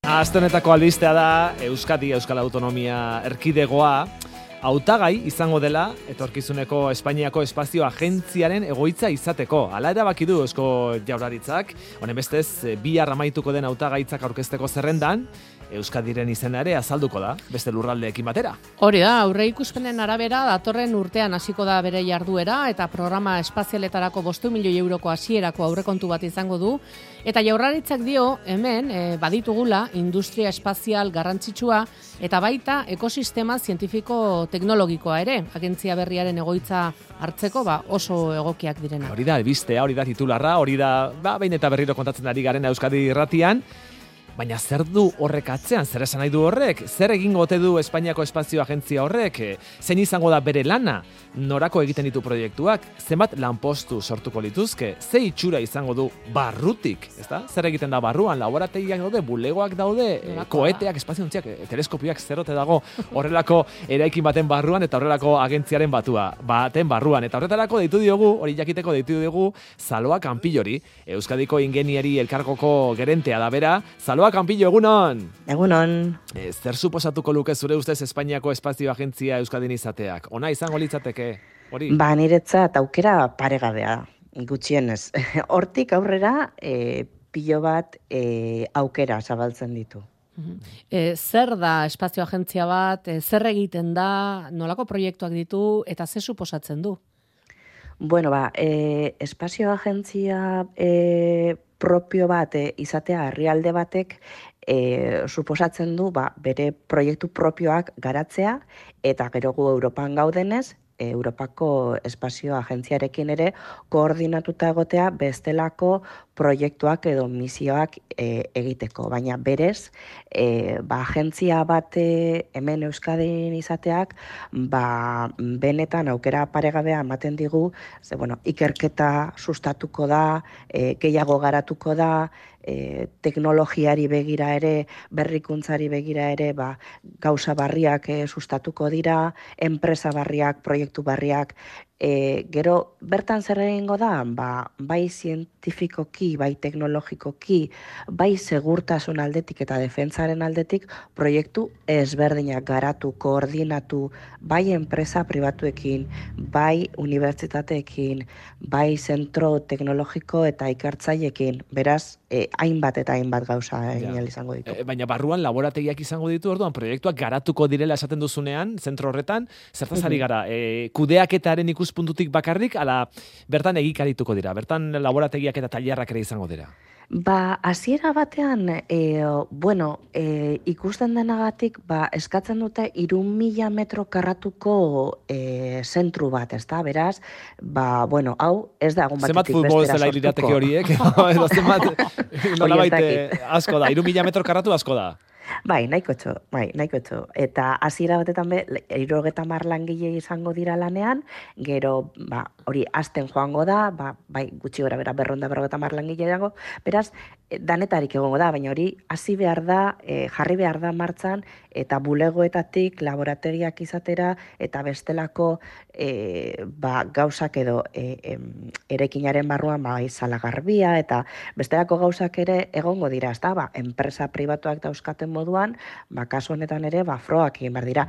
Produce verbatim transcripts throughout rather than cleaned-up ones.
Aste honetako albistea da Euskadi Euskal Autonomia Erkidegoa hautagai izango dela etorkizuneko Espainiako Espazio Agentziaren egoitza izateko. Hala erabaki du Eusko Jaurlaritzak, honen bestez bihar amaituko den hautagaitzak aurkezteko zerrendan Euskadiren izena ere azalduko da, beste lurraldeekin batera. Hori da, aurreikuspenen arabera datorren urtean hasiko da bere jarduera eta programa espazialetarako bostu milioi euroko hasierako aurrekontu bat izango du. Eta Jaurlaritzak dio hemen e, baditugula industria espazial garrantzitsua eta baita ekosistema zientifiko teknologikoa ere, agentzia berriaren egoitza hartzeko ba, oso egokiak direna. Hori da, albistea, hori da titularra, hori da ba, behin eta berriro kontatzen ari garen Euskadi irratian. Baina zer du horrek atzean, zer esan nahi du horrek? Zer egingo ote du Espainiako Espazio Agentzia horrek? Zein izango da bere lana? Norako egiten ditu proiektuak? Zenbat lanpostu sortuko lituzke? Ze itxura izango du barrutik? Ezta? Zer egiten da barruan? Laborategiak daude, bulegoak daude, koeteak, espaziontziak, teleskopioak zerote dago horrelako eraikin baten barruan eta horrelako agentziaren batua, baten barruan. Eta horretarako deitu diogu, hori jakiteko deitu diogu, Saloa Kanpillori, Euskadiko Ingeniari Elkargoko gerentea da bera. Saloa Kanpillo, egunon! Egunon. E, zer suposatuko luke zure ustez Espainiako Espazio Agentzia Euskadin izateak? Ona izango litzateke? Hori? Ba, niretzat aukera paregabea, gutxienez. Hortik aurrera, e, pilo bat e, aukera zabaltzen ditu. E, zer da Espazio Agentzia bat, e, zer egiten da, nolako proiektuak ditu eta zer suposatzen du? Bueno, ba, e, Espazio Agentzia e, propio bat e, izatea herrialde batek e, suposatzen du ba, bere proiektu propioak garatzea eta gero gu Europan gaudenez, Europako Espazio Agentziarekin ere koordinatuta egotea bestelako proiektuak edo misioak e, egiteko. Baina berez, e, ba, agentzia bat e, hemen Euskadin izateak ba, benetan aukera paregabea ematen digu, ze, bueno, ikerketa sustatuko da, e, gehiago garatuko da, E, teknologiari begira ere, berrikuntzari begira ere, ba, gauza barriak e, sustatuko dira, enpresa barriak, proiektu barriak, e, gero bertan zer egingo da, ba, bai zientifikoki, bai teknologikoki, bai segurtasun aldetik eta defentsaren aldetik, proiektu ezberdinak garatu, koordinatu, bai enpresa pribatuekin, bai unibertsitateekin, bai zentro teknologiko eta ikertzaileekin, beraz, e, hainbat eta hainbat gauza egin ja. izango ditu. E, baina barruan laborategiak izango ditu, orduan proiektuak garatuko direla esaten duzunean, zentro horretan, zertaz ari gara, e, kudeaketaren ikuspuntutik bakarrik, ala bertan egikarituko dira, bertan laborategiak eta tailerrak ere izango dira. Ba, hasiera batean, e, bueno, e, ikusten denagatik, ba, eskatzen dute hiru mila metro karratuko e, zentru bat, ezta? Beraz, ba, bueno, hau ez da egun batetik bestera sortuko. Zenbat futbol zela lirateke horiek? Edo zenbat, nolabait asko da, hiru mila metro karratu asko da. Bai, nahiko txo, bai, nahiko txo. Eta hasiera batetan be, hirurogeita hamar langile izango dira lanean, gero, ba, hori hasten joango da, ba, bai, gutxi gora bera berronda berrogeita hamar langile dago, beraz, danetarik egongo da, baina hori hasi behar da, e, jarri behar da martxan, eta bulegoetatik laborategiak izatera, eta bestelako e, ba, gauzak edo e, e, erekinaren barruan ba, izala garbia, eta bestelako gauzak ere egongo dira, ezta, ba, enpresa pribatuak dauzkaten moduan, ba, kasu honetan ere, ba, froak egin behar dira.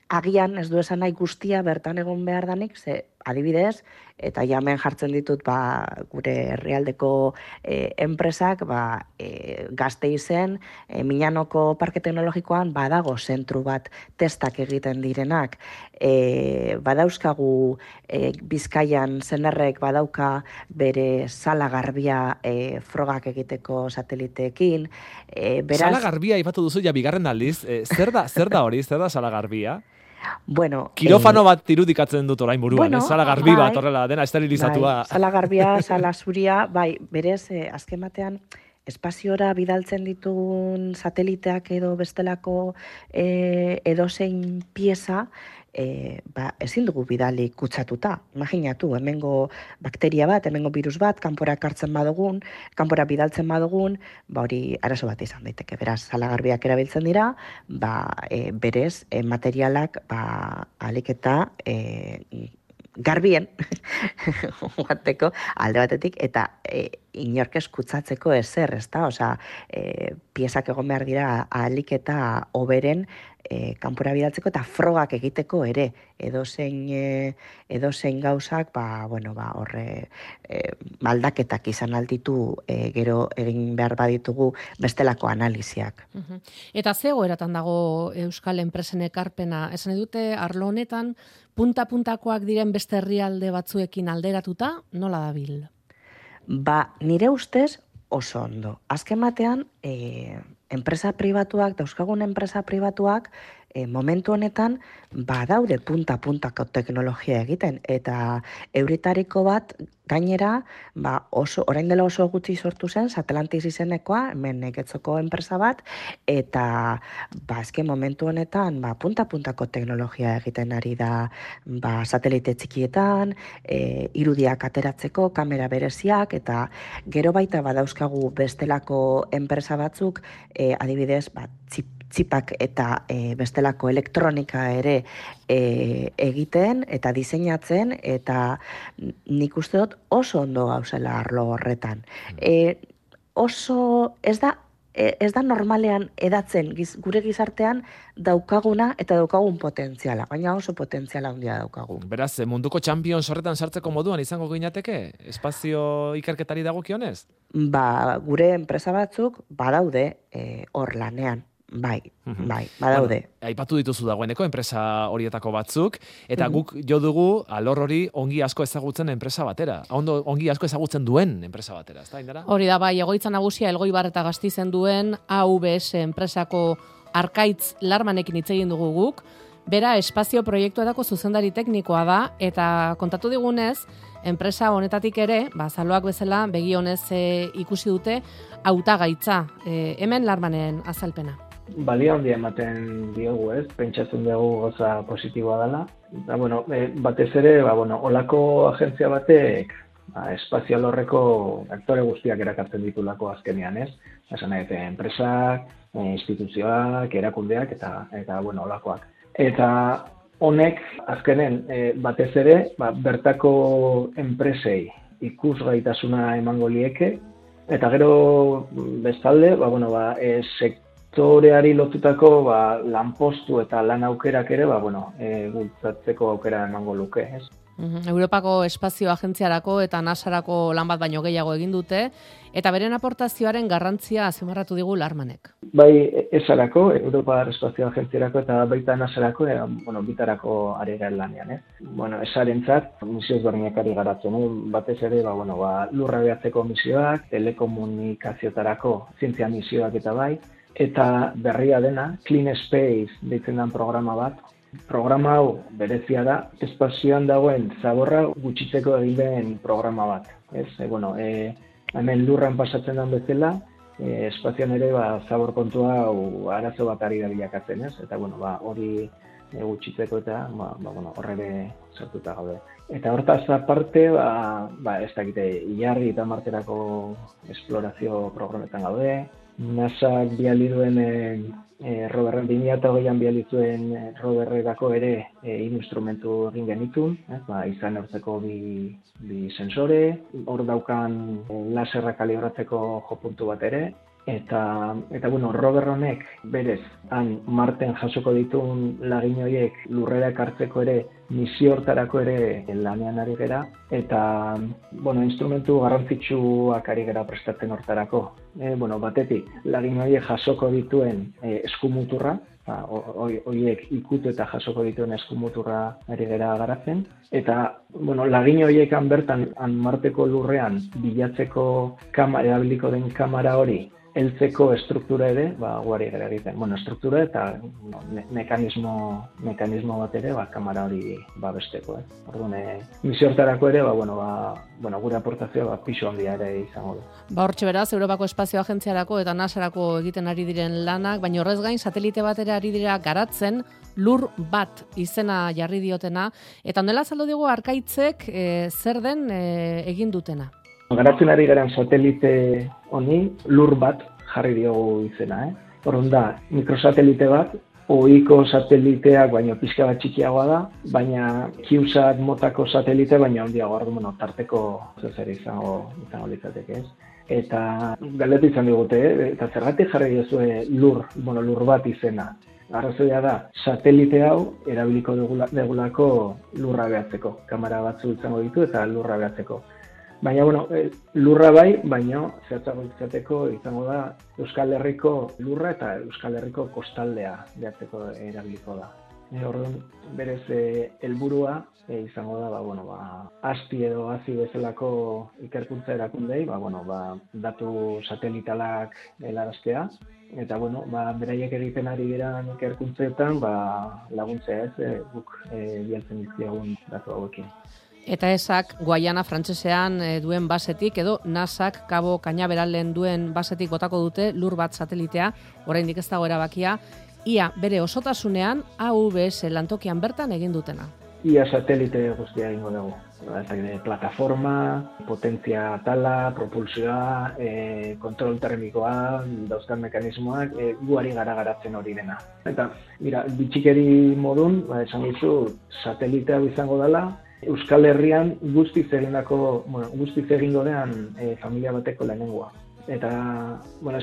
Agian ez du esan nahi guztia bertan egon behar danik, ze adibidez, eta jamen jartzen ditut ba, gure herrialdeko e, enpresak, ba, e, Gasteizen, e, Miñanoko Parke Teknologikoan badago zentru bat testak egiten direnak. E, badauzkagu e, Bizkaian zenerrek badauka bere sala garbia e, frogak egiteko sateliteekin. E, beraz, sala garbia ipatu duzu ja bigarren aldiz, e, zer da, zer da hori, zer da sala garbia? Bueno, kirofano eh, bat irudikatzen dut orain buruan, bueno, eh? Sala garbi bai, bat, horrela, dena esterilizatua. Bai, sala garbia, sala zuria, bai, berez, eh, azken batean, espaziora bidaltzen ditun sateliteak edo bestelako eh, edozein pieza, E, ba, ezin dugu bidali kutsatuta. Imaginatu, hemengo bakteria bat, hemengo virus bat, kanpora kartzen badugun, kanpora bidaltzen badugun, ba hori arazo bat izan daiteke. Beraz, salagarbiak erabiltzen dira, ba, e, berez, e, materialak ba, alik eta e, garbien, guateko, alde batetik, eta e, inork eskutzatzeko ezer, ezta? Osea, e, piezak egon behar dira ahalik eta hoberen e, kanpora bidaltzeko eta frogak egiteko ere, edozein e, edozein gauzak, ba, bueno, ba, horre e, maldaketak izan altitu e, gero egin behar baditugu bestelako analiziak. Uh-huh. Eta ze egoeratan dago Euskal enpresen ekarpena? Esan dute arlo honetan punta-puntakoak diren beste herrialde batzuekin alderatuta, nola dabil? Ba, nire ustez oso ondo. Azken batean, e, enpresa pribatuak, dauzkagun enpresa pribatuak, e, momentu honetan, badaude punta-puntako teknologia egiten, eta euritariko bat, gainera, ba, oso, orain dela oso gutxi sortu zen, Satellantis izenekoa, hemen Getzoko enpresa bat, eta ba, azken momentu honetan, ba, punta-puntako teknologia egiten ari da, ba, satelite txikietan, e, irudiak ateratzeko, kamera bereziak, eta gero baita badauzkagu bestelako enpresa batzuk, e, adibidez, ba, txip, txipak eta e, bestelako elektronika ere e, egiten eta diseinatzen, eta nik uste dut oso ondo gauzela arlo horretan. E, oso ez da ez da normalean edatzen giz, gure gizartean daukaguna eta daukagun potentziala, baina oso potentziala handia daukagu. Beraz, munduko Champions horretan sartzeko moduan izango ginateke, espazio ikerketari dagokionez? Ba, gure enpresa batzuk badaude e, hor lanean. Bai, bai, badaude. Bueno, aipatu dituzu dagoeneko enpresa horietako batzuk, eta guk jo dugu alor hori ongi asko ezagutzen enpresa batera. Ondo, ongi asko ezagutzen duen enpresa batera, ezta, Indara? Hori da, bai, egoitza nagusia Elgoibar eta Gastizen duen A V S enpresako Arkaitz Larmanekin hitz egin dugu guk. Bera, espazio proiektuetako zuzendari teknikoa da, eta kontatu digunez, enpresa honetatik ere, ba, zaloak bezala, begi honez e, ikusi dute, hautagaitza. E, hemen Larmanen azalpena. Balia handia ematen diogu, ez? Pentsatzen dugu gauza positiboa dela. Da, bueno, e, batez ere, ba, bueno, olako agentzia batek ba, espazio alorreko aktore guztiak erakartzen ditulako azkenean, ez? Esan nahi, enpresak, e, instituzioak, erakundeak eta eta bueno, olakoak. Eta honek azkenen e, batez ere, ba, bertako enpresei ikusgaitasuna emango lieke, eta gero bestalde, ba, bueno, ba, e, sektoreari lotutako ba, lanpostu eta lan aukerak ere, ba, bueno, e, bultzatzeko aukera emango luke, ez? Europako Espazio Agentziarako eta NASArako lan bat baino gehiago egin dute, eta beren aportazioaren garrantzia azpimarratu digu Larmanek. Bai, esarako, Europa Espazio Agentziarako eta baita NASArako, e, bueno, bitarako ari gara lanean, eh? Bueno, esarentzat, misio ezberdinak ari garatzen, eh? Batez ere, ba, bueno, ba, lurra behatzeko misioak, telekomunikaziotarako zientzia misioak eta bai, eta berria dena, Clean Space deitzen den programa bat. Programa hau berezia da, espazioan dagoen zaborra gutxitzeko egin den programa bat. Ez, e, bueno, e, hemen lurran pasatzen den bezala, e, espazioan ere ba, zabor kontua hau arazo bat ari da bilakatzen, ez? Eta bueno, ba, hori e, gutxitzeko eta ba, ba, bueno, horrere sartuta gaude. Eta hortaz aparte, ba, ba, ez dakite, Ilargi eta Marterako esplorazio programetan gaude, NASAk biali duen e, e, roverren bi mila hogeian biali zuen e, roverrerako ere e, instrumentu egin genitun, eh? Ba, izan hortzeko bi, bi sensore, hor daukan e, laserra kalibratzeko jopuntu bat ere, eta, eta bueno, rover honek berez, han Marten jasoko ditun lagin horiek lurrera ekartzeko ere, misio hortarako ere lanean ari gera, eta bueno, instrumentu garrantzitsuak ari gera prestatzen hortarako. E, bueno, batetik, lagin horiek jasoko dituen e, eskumuturra, horiek ikutu eta jasoko dituen eskumuturra ari gera garatzen, eta bueno, lagin horiekan bertan han Marteko lurrean bilatzeko kamera, erabiliko den kamera hori, heltzeko estruktura ere, ba, guari gara egiten. Bueno, estruktura eta no, me mekanismo, mekanismo bat ere, ba, kamera hori babesteko. Eh? Orduan, e, misio hortarako ere, ba, bueno, ba, bueno, gure aportazioa ba, pisu handia ere izango du. Ba, hortxe beraz, Europako Espazio Agentziarako eta NASArako egiten ari diren lanak, baina horrez gain, satelite bat ere ari dira garatzen, lur bat izena jarri diotena, eta ondela azaldu digu Arkaitzek e, zer den e, egin dutena. Garatzen ari garen satelite honi lur bat jarri diogu izena. Eh? Horren da, mikrosatelite bat, ohiko sateliteak baino pixka bat txikiagoa da, baina CubeSat motako satelite baina handiago, orduan, bueno, tarteko zer izango izango litzateke, ez? Eta galdetu izan digute, eh? Eta zergatik jarri diozue lur, bueno, lur bat izena. Arrazoia da, satelite hau erabiliko dugulako lurra behatzeko. Kamera batzu izango ditu eta lurra behatzeko. Baina, bueno, lurra bai, baina zehatzago izateko izango da Euskal Herriko lurra eta Euskal Herriko kostaldea behatzeko erabiliko da. E, orduan, berez helburua e, izango da, ba, bueno, ba, asti edo hazi bezalako ikerkuntza erakundei, ba, bueno, ba, datu satelitalak helaraztea, eta, bueno, ba, beraiek egiten ari diran ikerkuntzetan, ba, laguntzea ez, e, guk e, bialtzen dizkiagun datu hauekin. Eta esak Guayana frantsesean e, duen basetik edo nasak Kabo Cañaveralen duen basetik botako dute lur bat satelitea, oraindik ez dago erabakia, ia bere osotasunean A V S lantokian bertan egin dutena. Ia satelite guztia egingo dugu. Plataforma, potentzia tala, propulsioa, e, kontrol termikoa, dauzkan mekanismoak, e, guari gara garatzen hori dena. Eta, mira, bitxikeri modun, ba, esan dizu, satelitea izango dela, Euskal Herrian guztiz egindako, bueno, guztiz egingo dean e, familia bateko lehenengoa. Eta, bueno,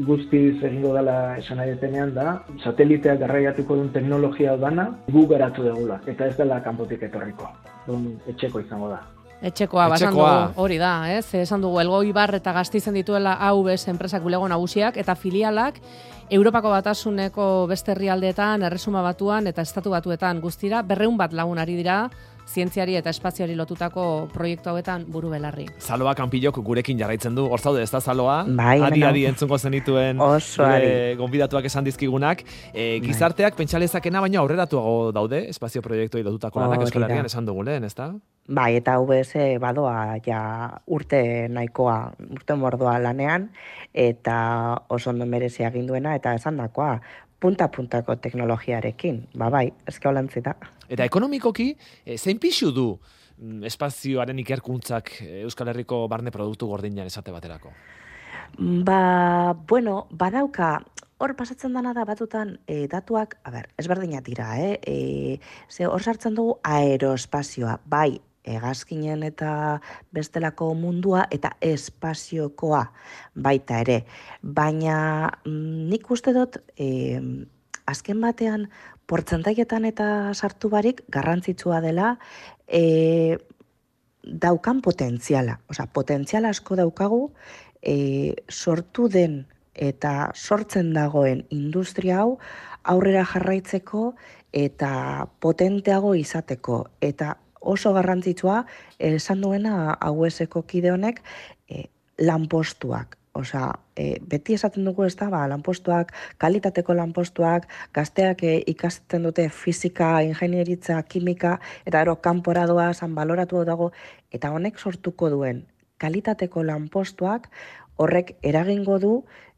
guztiz egingo dela esan nahi detenean da, sateliteak garraiatuko duen teknologia dana gu garatu dugula, eta ez dela kanpotik etorriko. Dun, etxeko izango da. Etxekoa, basan dugu, hori da, ez? Esan dugu, Elgoibar eta Gasteizen dituela A V S enpresak bulego nagusiak, eta filialak Europako Batasuneko beste herrialdeetan, Erresuma Batuan eta Estatu Batuetan guztira, berreun bat lagun ari dira, zientziari eta espazioari lotutako proiektu hauetan buru belarri. Zaloa Kanpillok gurekin jarraitzen du, hor zaude ez da Zaloa? Bai, adi-adi entzungo zenituen gonbidatuak esan dizkigunak. E, gizarteak pentsalezakena baino aurreratuago daude, espazio proiektuei lotutako lanak Euskal Herrian esan dugu lehen, ez da? Bai, eta A V S badoa ja urte nahikoa, urte mordoa lanean, eta oso ondo merezi egin duena, eta esan dakoa, punta-puntako teknologiarekin, ba bai, ezke holantzi da. Eta ekonomikoki, e, zein pixu du espazioaren ikerkuntzak Euskal Herriko barne produktu gordinan esate baterako? Ba, bueno, badauka, hor pasatzen dana da batutan e, datuak, a ber, ezberdinak dira, eh? E, ze hor sartzen dugu aeroespazioa, bai, hegazkinen eta bestelako mundua eta espaziokoa baita ere. Baina nik uste dut, e, azken batean, portzentaietan eta sartu barik garrantzitsua dela e, daukan potentziala. Osa, potentziala asko daukagu e, sortu den eta sortzen dagoen industria hau aurrera jarraitzeko eta potenteago izateko. Eta oso garrantzitsua esan duena A V S-ko kide honek e, lanpostuak. Osea, e, beti esaten dugu ez da, ba, lanpostuak, kalitateko lanpostuak, gazteak e, ikasten dute fisika, ingenieritza, kimika, eta ero kanpora doa, zan baloratu dago, eta honek sortuko duen kalitateko lanpostuak horrek eragingo du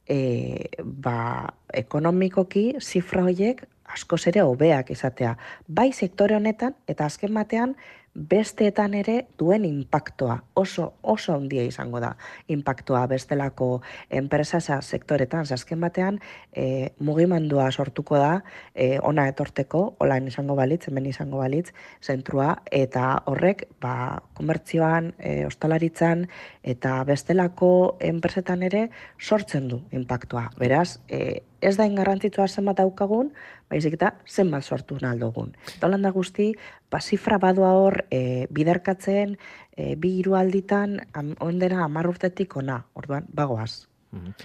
e, ba, ekonomikoki zifra horiek askoz ere hobeak izatea. Bai sektore honetan, eta azken batean, besteetan ere duen inpaktoa, oso oso handia izango da inpaktoa bestelako enpresa sektoretan, azken batean e, mugimendua sortuko da e, ona etorteko, olain izango balitz, hemen izango balitz, zentrua, eta horrek ba, komertzioan, e, ostalaritzan, eta bestelako enpresetan ere sortzen du inpaktoa. Beraz, e, ez da ingarrantzitsua zenbat daukagun, baizik eta zenbat sortu naldogun. Eta holanda guzti, ba, zifra badoa hor e, biderkatzen, e, bi hiru alditan, ondena hamar urtetik ona, orduan, bagoaz.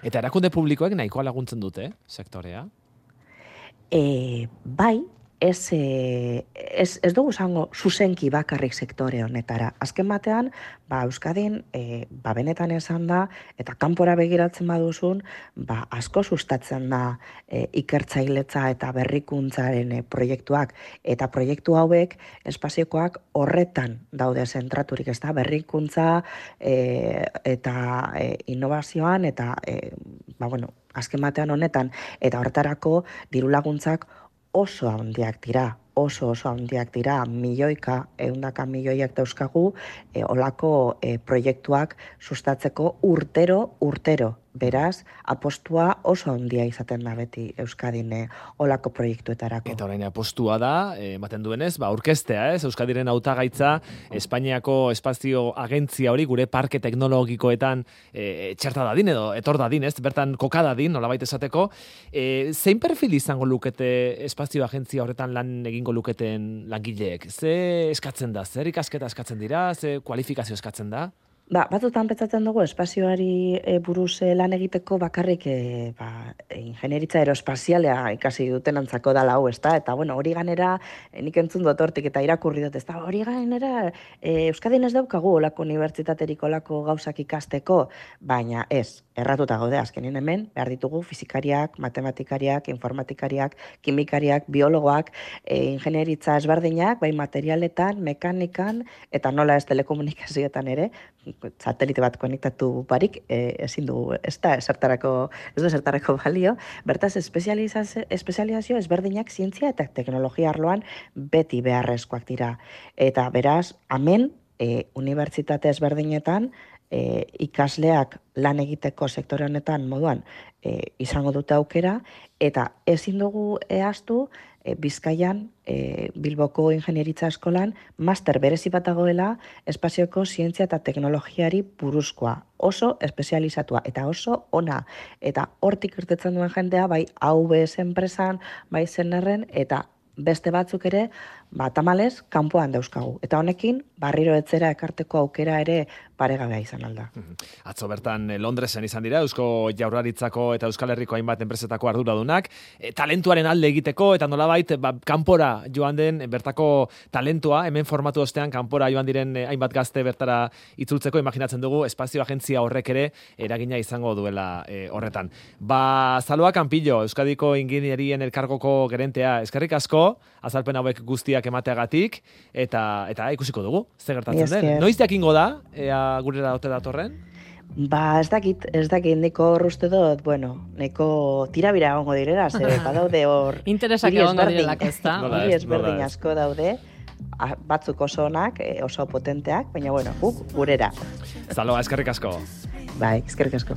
Eta erakunde publikoek nahikoa laguntzen dute, sektorea? E, bai, ez, e, ez, ez dugu zango zuzenki bakarrik sektore honetara. Azken batean, ba, Euskadin, e, ba, benetan esan da, eta kanpora begiratzen baduzun, ba, asko sustatzen da e, ikertzailetza eta berrikuntzaren e, proiektuak. Eta proiektu hauek, espaziokoak horretan daude zentraturik, ez da, berrikuntza e, eta e, innovazioan, eta, e, ba, bueno, azken batean honetan, eta horretarako diru laguntzak oso handiak dira, oso oso handiak dira, milioika, ehundaka milioiak dauzkagu, e, olako e, proiektuak sustatzeko urtero, urtero. Beraz, apostua oso handia izaten da beti Euskadine olako proiektuetarako. Eta orain apostua da, ematen duenez, ba, orkestea, ez? Euskadiren hautagaitza, Espainiako espazio agentzia hori gure parke teknologikoetan e, txerta dadin edo etor dadin, ez? Bertan koka dadin, nolabait esateko. E, zein perfil izango lukete espazio agentzia horretan lan egingo luketen langileek? Ze eskatzen da? Zer ikasketa eskatzen dira? Ze kualifikazio eskatzen da? Ba, batzutan pentsatzen dugu espazioari e, buruz e, lan egiteko bakarrik e, ba, ingenieritza aeroespazialea ikasi duten antzako dala hau, ezta? Eta bueno, hori ganera, e, nik entzun dut hortik eta irakurri dut, ezta? Hori ganera, e, Euskadin ez daukagu olako unibertsitaterik olako gauzak ikasteko, baina ez, erratuta gaude azkenin hemen, behar ditugu fizikariak, matematikariak, informatikariak, kimikariak, biologoak, e, ingenieritza ezberdinak, bai materialetan, mekanikan, eta nola ez telekomunikazioetan ere, satelite bat konektatu barik, e, ezin dugu, ez da, esertarako, ez da esertarako balio, bertaz espezializazio, espezializazio ezberdinak zientzia eta teknologia arloan beti beharrezkoak dira. Eta beraz, hemen, e, unibertsitate ezberdinetan, e, ikasleak lan egiteko sektore honetan moduan e, izango dute aukera, eta ezin dugu ehaztu, E, Bizkaian, e, Bilboko Ingenieritza Eskolan, master berezi bat dagoela espazioko zientzia eta teknologiari buruzkoa. Oso espezializatua eta oso ona. Eta hortik irtetzen duen jendea, bai A V S enpresan, bai Zenerren, eta beste batzuk ere, ba, tamalez, kanpoan dauzkagu. Eta honekin, barriro etzera ekarteko aukera ere paregabea izan alda. Atzo bertan Londresen izan dira, Eusko Jaurlaritzako eta Euskal Herriko hainbat enpresetako arduradunak, e, talentuaren alde egiteko, eta nolabait, ba, kanpora joan den bertako talentua, hemen formatu ostean kanpora joan diren hainbat gazte bertara itzultzeko, imaginatzen dugu, espazio agentzia horrek ere eragina izango duela e, horretan. Ba, Zaloa Kanpillo, Euskadiko Inginierien Elkargoko gerentea, eskerrik asko, azalpen hauek guztiak emateagatik, eta eta ikusiko dugu, ze gertatzen den. Noiz jakingo da, ea gurera ote datorren? Ba, ez dakit, ez dakit, neko uste dut, bueno, neko tirabira egongo direla, ze badaude hor... Interesak egongo direlak, ez da? Hiri ezberdin asko daude, batzuk oso onak, oso potenteak, baina bueno, guk gurera. Zaloa, eskerrik asko. Bai, eskerrik asko.